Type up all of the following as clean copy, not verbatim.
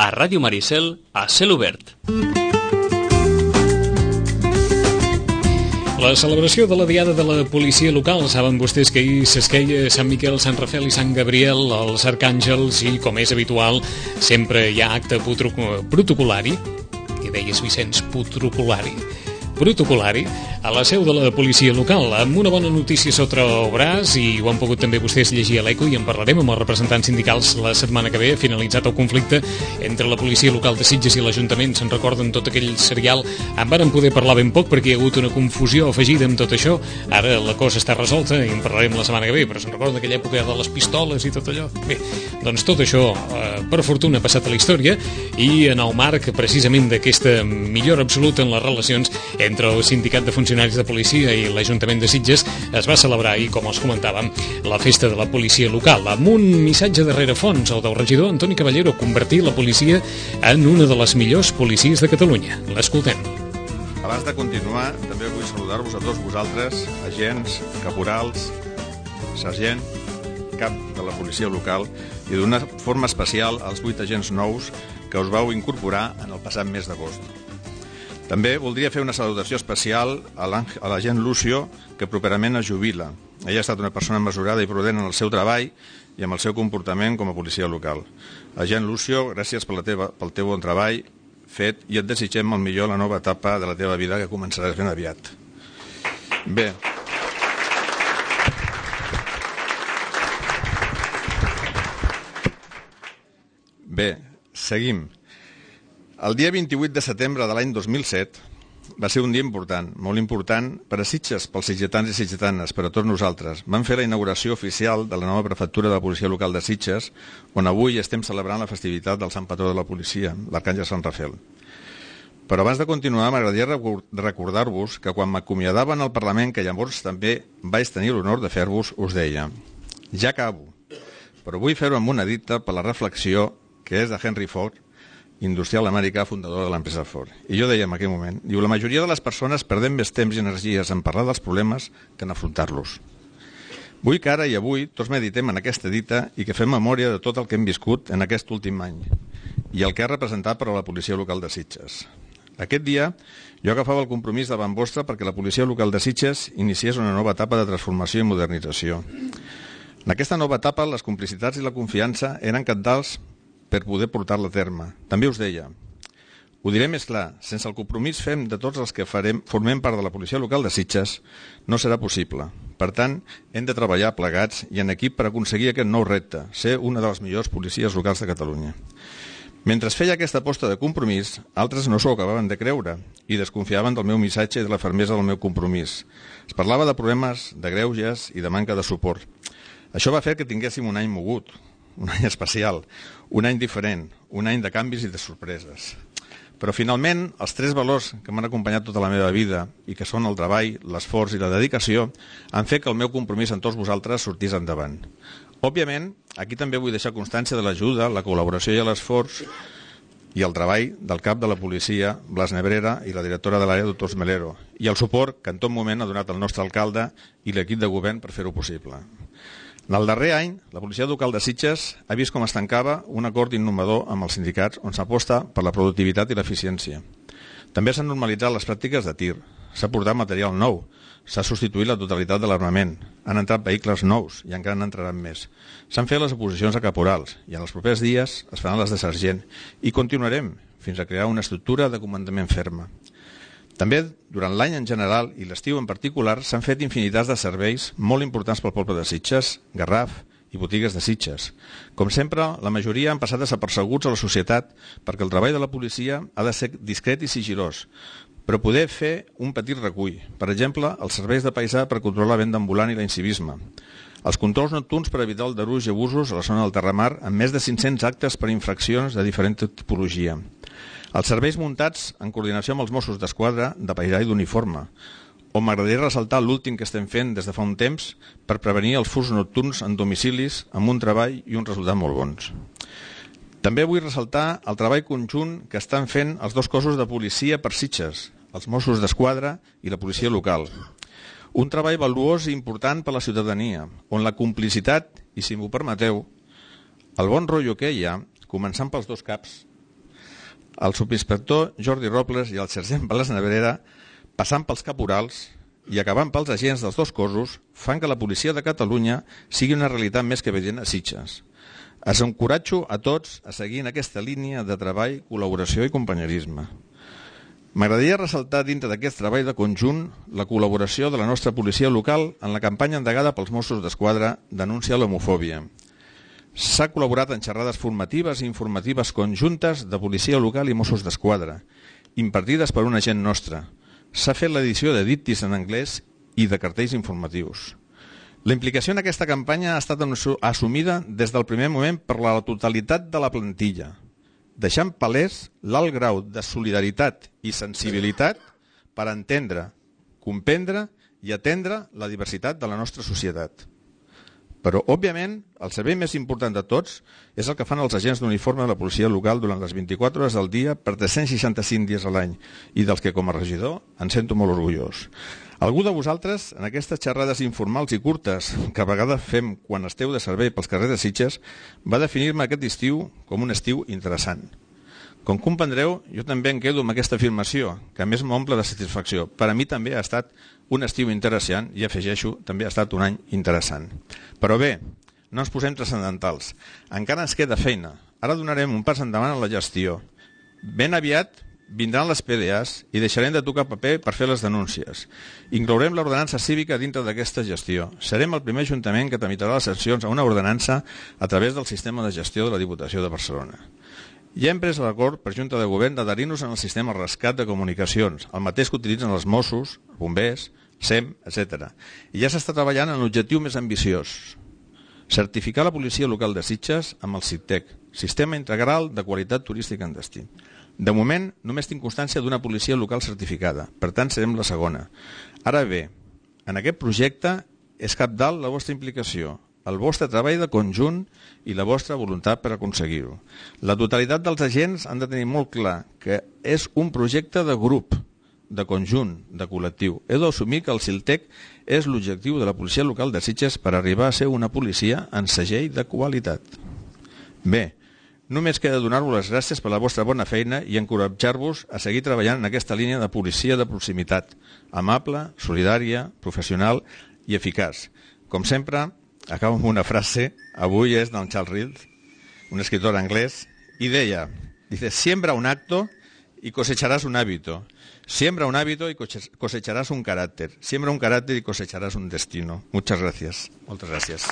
a Ràdio Maricel, a cel obert. La celebració de la Diada de la Policia Local. Saben vostès que ahir s'esqueia Sant Miquel, Sant Rafel i Sant Gabriel, els arcàngels, i com és habitual sempre hi ha acte protocolari, que deies, Vicenç, protocolari, a la seu de la policia local, amb una bona notícia sota el braç, i ho han pogut també vostès llegir a l'Eco, i en parlarem amb els representants sindicals la setmana que ve. Ha finalitzat el conflicte entre la policia local de Sitges i l'Ajuntament. Se'n recorden tot aquell serial? En varen poder parlar ben poc perquè hi ha hagut una confusió afegida amb tot això. Ara la cosa està resolta i en parlarem la setmana que ve, però se'n recorden d'aquella època de les pistoles i tot allò? Bé, doncs tot això, per fortuna, ha passat a la història, i en el marc precisament d'aquesta millora absoluta en les relacions entre el Sindicat de Funcionaris de Policia i l'Ajuntament de Sitges es va celebrar ahir, com els comentàvem, la festa de la policia local, amb un missatge de rerefons, el del regidor Antoni Caballero: convertir la policia en una de les millors policies de Catalunya. L'escoltem. Abans de continuar, també vull saludar-vos a tots vosaltres, agents, caporals, sergent, cap de la policia local, i d'una forma especial als 8 agents nous que us vau incorporar en el passat mes d'agost. També voldria fer una salutació especial a l'agent Lucio, que properament es jubila. Ella ha estat una persona mesurada i prudent en el seu treball i amb el seu comportament com a policia local. Agent Lucio, gràcies pel teu bon treball fet, i et desitgem el millor a la nova etapa de la teva vida, que començaràs ben aviat. Bé, seguim. El dia 28 de setembre de l'any 2007 va ser un dia important, molt important per a Sitges, pels sitgetans i sitgetanes, per a tots nosaltres. Vam fer la inauguració oficial de la nova prefectura de la policia local de Sitges, on avui estem celebrant la festivitat del Sant Patró de la policia, l'Arcàngel Sant Rafel. Però abans de continuar, m'agradaria recordar-vos que quan m'acomiadaven al Parlament, que llavors també vaig tenir l'honor de fer-vos, us deia: ja acabo, però vull fer-ho amb una dita per la reflexió que és de Henry Ford, industrial americà, fundador de l'empresa Ford. I jo deia en aquell moment, diu: la majoria de les persones perdem més temps i energies en parlar dels problemes que en afrontar-los. Vull que ara i avui tots meditem en aquesta dita i que fem memòria de tot el que hem viscut en aquest últim any i el que ha representat per a la policia local de Sitges. Aquest dia jo agafava el compromís davant vostre perquè la policia local de Sitges iniciés una nova etapa de transformació i modernització. En aquesta nova etapa les complicitats i la confiança eren cabdals per poder portar-la a terme. També us deia, ho diré més clar, sense el compromís fem de tots els que formem part de la policia local de Sitges, no serà possible. Per tant, hem de treballar plegats i en equip per aconseguir aquest nou repte, ser una de les millors policies locals de Catalunya. Mentre feia aquesta aposta de compromís, altres no s'ho acabaven de creure i desconfiaven del meu missatge i de la fermesa del meu compromís. Es parlava de problemes, de greuges i de manca de suport. Això va fer que tinguéssim un any mogut, un any especial, un any diferent, un any de canvis i de sorpreses. Però finalment, els 3 valors que m'han acompanyat tota la meva vida i que són el treball, l'esforç i la dedicació han fet que el meu compromís amb tots vosaltres sortís endavant. Òbviament, aquí també vull deixar constància de l'ajuda, la col·laboració i l'esforç i el treball del cap de la policia, Blas Nebrera, i la directora de l'àrea, doctor Melero, i el suport que en tot moment ha donat el nostre alcalde i l'equip de govern per fer-ho possible. En el darrer any, la policia local de Sitges ha vist com es tancava un acord innovador amb els sindicats on s'aposta per la productivitat i l'eficiència. També s'han normalitzat les pràctiques de tir, s'ha portat material nou, s'ha substituït la totalitat de l'armament, han entrat vehicles nous i encara n'entraran més. S'han fet les oposicions a caporals i en els propers dies es faran les de sergent i continuarem fins a crear una estructura de comandament ferma. També, durant l'any en general i l'estiu en particular, s'han fet infinitats de serveis molt importants pel poble de Sitges, Garraf i botigues de Sitges. Com sempre, la majoria han passat desapercebuts a la societat perquè el treball de la policia ha de ser discret i sigilós, però poder fer un petit recull. Per exemple, els serveis de paisà per controlar la venda ambulant i l'incivisme. Els controls nocturns per evitar el deruig i abusos a la zona del Terramar amb més de 500 actes per infraccions de diferent tipologia. Els serveis muntats en coordinació amb els Mossos d'Esquadra de paisà i d'uniforme, on m'agradaria ressaltar l'últim que estem fent des de fa un temps per prevenir els furs nocturns en domicilis amb un treball i un resultat molt bons. També vull ressaltar el treball conjunt que estan fent els 2 cossos de policia per Sitges, els Mossos d'Esquadra i la policia local. Un treball valuós i important per a la ciutadania, on la complicitat, i si m'ho permeteu, el bon rotllo que hi ha, començant pels 2 caps, el subinspector Jordi Robles i el sergent Blas Nebrera, passant pels caporals i acabant pels agents dels dos cossos, fan que la policia de Catalunya sigui una realitat més que evident a Sitges. Els encoratjo a tots a seguir en aquesta línia de treball, col·laboració i companyerisme. M'agradaria ressaltar dintre d'aquest treball de conjunt la col·laboració de la nostra policia local en la campanya endegada pels Mossos d'Esquadra Denuncia l'homofòbia. S'ha col·laborat en xerrades formatives i informatives conjuntes de policia local i Mossos d'Esquadra, impartides per un agent nostre. S'ha fet l'edició de díptics en anglès i de cartells informatius. La implicació en aquesta campanya ha estat assumida des del primer moment per la totalitat de la plantilla, deixant palès l'alt grau de solidaritat i sensibilitat per entendre, comprendre i atendre la diversitat de la nostra societat. Però, òbviament, el servei més important de tots és el que fan els agents d'uniforme de la policia local durant les 24 hores del dia per 365 dies a l'any i dels que, com a regidor, em sento molt orgullós. Algú de vosaltres, en aquestes xerrades informals i curtes que a vegades fem quan esteu de servei pels carrers de Sitges, va definir-me aquest estiu com un estiu interessant. Com comprendreu, jo també em quedo amb aquesta afirmació, que a més m'omple de satisfacció. Per a mi també ha estat un estiu interessant i afegeixo, també ha estat un any interessant. Però bé, no ens posem transcendentals. Encara ens queda feina. Ara donarem un pas endavant en la gestió. Ben aviat vindran les PDAs i deixarem de tocar paper per fer les denúncies. Inclourem l'ordenança cívica dintre d'aquesta gestió. Serem el primer ajuntament que tramitarà les sancions a una ordenança a través del sistema de gestió de la Diputació de Barcelona. Ja hem pres l'acord per Junta de Govern d'adherir-nos en el sistema rescat de comunicacions, el mateix que utilitzen els Mossos, bombers, SEM, etc. I ja s'està treballant en l'objectiu més ambiciós: certificar la policia local de Sitges amb el CITEC, Sistema Integral de Qualitat Turística en Destí. De moment, només tinc constància d'una policia local certificada, per tant serem la segona. Ara bé, en aquest projecte és cabdal la vostra implicació, el vostre treball de conjunt i la vostra voluntat per aconseguir-ho. La totalitat dels agents han de tenir molt clar que és un projecte de grup, de conjunt, de col·lectiu. Heu d'assumir que el CILTEC és l'objectiu de la policia local de Sitges per arribar a ser una policia en segell de qualitat. Bé, només queda donar-vos les gràcies per la vostra bona feina i encoratjar-vos a seguir treballant en aquesta línia de policia de proximitat, amable, solidària, professional i eficaç. Com sempre, acabo amb una frase, avui és d'en Charles Reed, un escritor anglès, i deia, siembra un acto y cosecharás un hábito, siembra un hábito y cosecharás un carácter, siembra un carácter y cosecharás un destino. Muchas gracias. Moltes gràcies.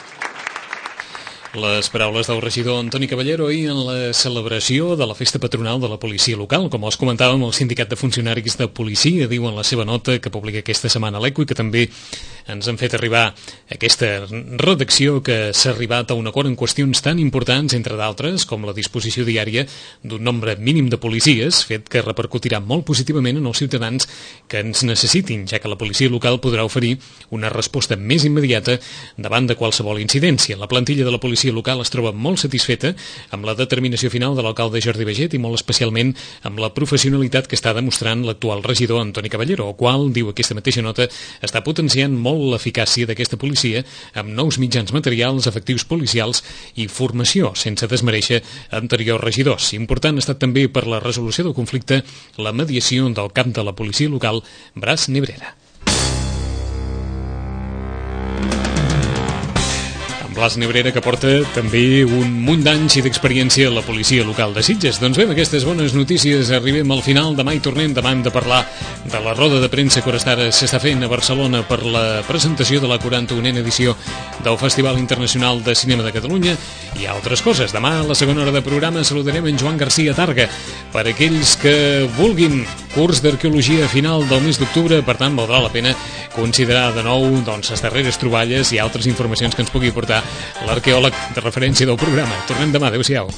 Les paraules del regidor Antoni Caballero ahir en la celebració de la festa patronal de la policia local. Com els comentàvem, el Sindicat de Funcionaris de Policia diu en la seva nota que publica aquesta setmana a l'ECO i que també ens han fet arribar aquesta redacció que s'ha arribat a un acord en qüestions tan importants, entre d'altres, com la disposició diària d'un nombre mínim de policies, fet que repercutirà molt positivament en els ciutadans que ens necessitin, ja que la policia local podrà oferir una resposta més immediata davant de qualsevol incidència. La plantilla de la policia local es troba molt satisfeta amb la determinació final de l'alcalde Jordi Baiget i molt especialment amb la professionalitat que està demostrant l'actual regidor Antoni Caballero, el qual, diu aquesta mateixa nota, està potenciant molt l'eficàcia d'aquesta policia amb nous mitjans materials, efectius policials i formació, sense desmereixer anteriors regidors. Important ha estat també per la resolució del conflicte la mediació del cap de la policia local, Blas Nebrera. Blas Nebrera, que porta també un munt d'anys i d'experiència a la policia local de Sitges. Doncs bé, amb aquestes bones notícies arribem al final. Demà hi tornem, demà hem de parlar de la roda de premsa que ara s'està fent a Barcelona per la presentació de la 41a edició del Festival Internacional de Cinema de Catalunya i altres coses. Demà, a la segona hora de programa, saludarem en Joan García Targa. Per aquells que vulguin curs d'arqueologia a final del mes d'octubre, per tant, valdrà la pena considerar de nou les darreres troballes i altres informacions que ens pugui portar l'arqueòleg de referència del programa. Tornem demà. Adéu-siau.